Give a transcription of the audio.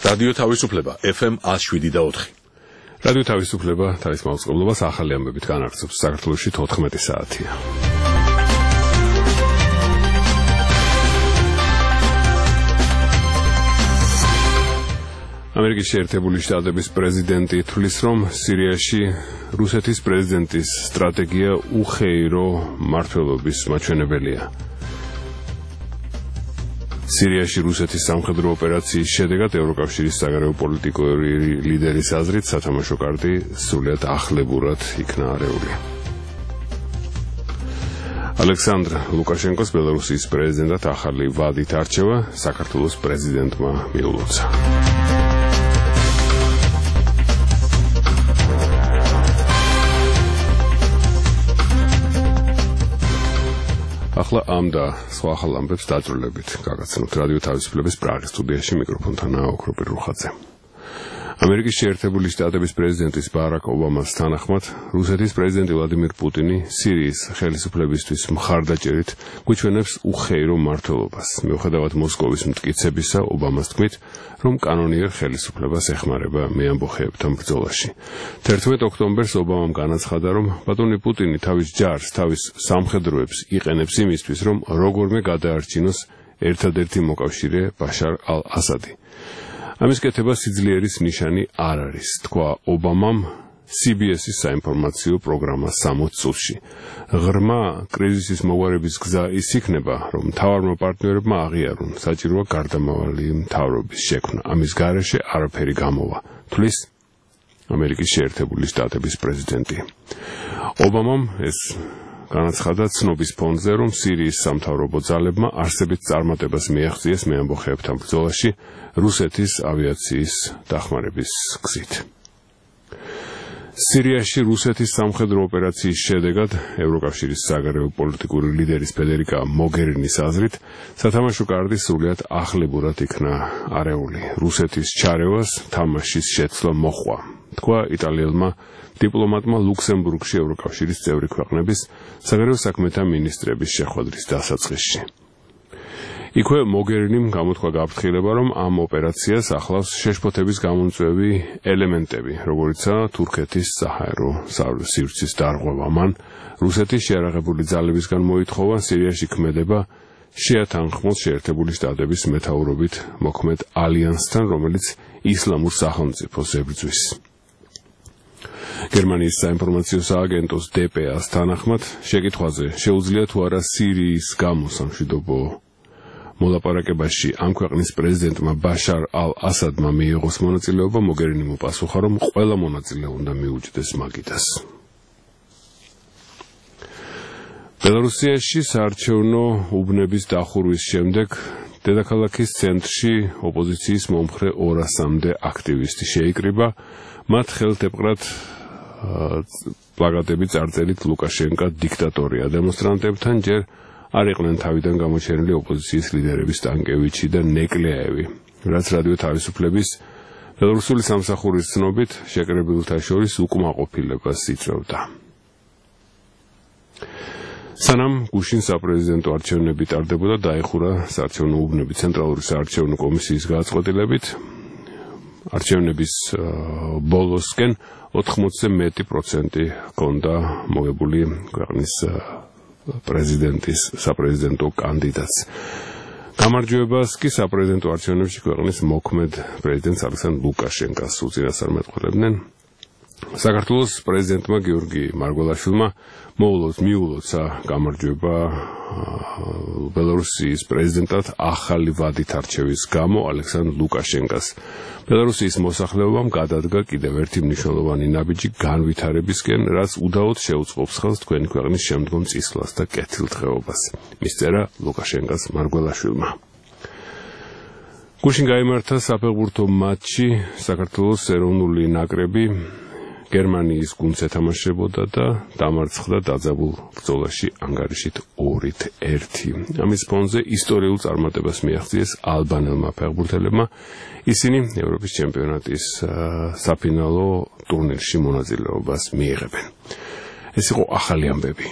რადიო თავისუფლება FM 107.4. რადიო თავისუფლება თავის მაუწყებლობას ახალი ამბებით განაგრძობს. საქართველოში 14 საათია. ამერიკის შეერთებული შტატების პრეზიდენტი თვლის, რომ სირიაში რუსეთის პრეზიდენტის სტრატეგია უხეირო მმართველობის მაჩვენებელია. სირიაში რუსეთის სამხედრო ოპერაციის შედეგად ევროკავშირის საგარეო პოლიტიკური ლიდერის აზრით სათამაშო კარტი სრულიად ახლებურად იქნა არეული. ალექსანდრ ლუკაშენკოს ბელარუსის პრეზიდენტად ახალი ვადით არჩევა საქართველოს პრეზიდენტმა მიულოცა. ახლა ამ და სხვა ახალ ამბებს დაძრულებით გაგაცნოთ რადიო თავისუფლების პრაღის სტუდიაში მიკროფონთანაა ოქროპირ რუხაძე. ამერიკის შეერთებული შტატების პრეზიდენტის ბარაკ ობამას თანახმად რუსეთის პრეზიდენტი ვლადიმირ პუტინი სირიის ხელისუფლებისთვის მხარდაჭერით გვიჩვენებს უხეირო მმართველობას. მიუხედავად მოსკოვის მტკიცებისა, ობამას თქმით, რომ კანონიერ ხელისუფლებას ეხმარება მეამბოხეებთან ბრძოლაში. 11 ოქტომბერს ობამამ განაცხადა, რომ ბატონი პუტინი თავის ჯარს, თავის სამხედროებს იყენებს იმისთვის, რომ როგორმე გადაარჩინოს ერთადერთი მოკავშირე ბაშარ ალ-ასადი. ამის კეთება სიძლიერის ნიშანი არ არის, თქვა ობამამ CBS-ის საინფორმაციო პროგრამა 60 წუთში. ღრმა კრიზისის მოგვარების გზა ის იქნება, რომ მთავარმა პარტნიორებმა აღიარონ, საჭიროა გარდამავალი მთავრობის შექმნა. ამის გარეშე არაფერი გამოვა, თვლის ამერიკის შეერთებული შტატების პრეზიდენტი. ობამამ ეს განაცხადა ცნობის ფონზე, რომ სირიის სამთავრობო ძალებმა არსებით წარმატებას მიაღწიეს მეამბოხეებთან ბრძოლაში რუსეთის ავიაციის დახმარების გზით. სირიაში რუსეთის სამხედრო ოპერაციის შედეგად ევროკავშირის საგარეო პოლიტიკური ლიდერის ფედერიკა მოგერინის აზრით სათამაშო კარტი სრულიად ახლებურად იქნა არეული. რუსეთის ჩარევას თამაშის შეცვლა მოჰყვა, თქვა იტალიელმა დიპლომატმა ლუქსემბურგში ევროკავშირის წევრი ქვეყნების საგარეო საქმეთა მინისტრების შეხვედრის დასაწყისში. იქვე მოგერინიმ გამოთქვა გაფრთხილება, რომ ამ ოპერაციას ახლავს შეშფოთების გამომწვევი ელემენტები, როგორიცაა თურქეთის საჰაერო სივრცის დარღვევა. მან რუსეთის შეიარაღებული ძალებისგან მოითხოვა სირიაში ქმედება შეათანხმოს შეერთებული შტატების მეთაურობით მოქმედ ალიანსთან, რომელიც ისლამურ სახელმწიფოს ებრძვის. გერმანიის საინფორმაციო სააგენტოს DPA-ს თანახმად შეკითხვაზე შეუძლია თუ არა სირიის გამო სამშვიდობო მოლაპარაკებაში ამ ქვეყნის პრეზიდენტმა ბაშარ ალ-ასადმა მიიღოს მონაწილეობა, მოგერინი მოპასუხა, რომ ყველა მონაწილე უნდა მიუჯდეს მაგიდას. ბელარუსიაში საარჩევნო უბნების დახურვის შემდეგ დედაქალაქის ცენტრში ოპოზიციის მომხრე 200-მდე აქტივისტი შეიკრიბა, მათ ხელთეპყრად პლაკატები წარწერით ლუკაშენკა დიქტატორია. დემონსტრანტებთან ჯერ არ იყვნენ თავიდან გამოჩენილი ოპოზიციის ლიდერების სტანკევიჩი და ნეკლეევი, რაც რადიო თავისუფლების ბელარუსული სამსახურის ცნობით შეკრებილთა შორის უკმაყოფილებას იწვევდა. სანამ გუშინ საპრეზიდენტო არჩევნები ტარდებოდა, დაიხურა საარჩევნო უბნები ცენტრალური საარჩევნო კომისიის გადაწყვეტილებით. არჩევნების ბოლოსკენ 80-ზე მეტი პროცენტი ჰქონდა მოგებული ქვეყნის პრეზიდენტის საპრეზიდენტო კანდიდატს. გამარჯვებას კი საპრეზიდენტო არჩევნებში ქვეყნის მოქმედ პრეზიდენტს ალექსანდრ ლუკაშენკას უწინასწარმეტყველებდნენ. საქართველოს პრეზიდენტმა გიორგი მარგველაშვილმა მიულოცა გამარჯვება ბელარუსის პრეზიდენტად ახალი ვადით არჩევის გამო ალექსანდრ ლუკაშენკას. ბელარუსის მოსახლეობამ გადადგა კიდევ ერთი მნიშვნელოვანი ნაბიჯი განვითარებისკენ, რაც უდაოდ შეუწყობს ხელს თქვენი ქვეყნის შემდგომ წისვლას და კეთილდღეობას, მისწერა ლუკაშენკას მარგველაშვილმა. გუშინ გაიმართა საფეხბურთო მატჩი საქართველოს ეროვნული ნაკრები გერმანიის გუნდს ეთამაშებოდა და დამარცხდა დაძაბულ ბრძოლაში ანგარიშით 2-1. ამის ფონზე ისტორიულ წარმატებას მიაღწიეს ალბანელმა ფეხბურთელებმა. ისინი ევროპის ჩემპიონატის საფინალო ტურნირში მონაწილეობას მიიღებენ. ეს იყო ახალი ამბები.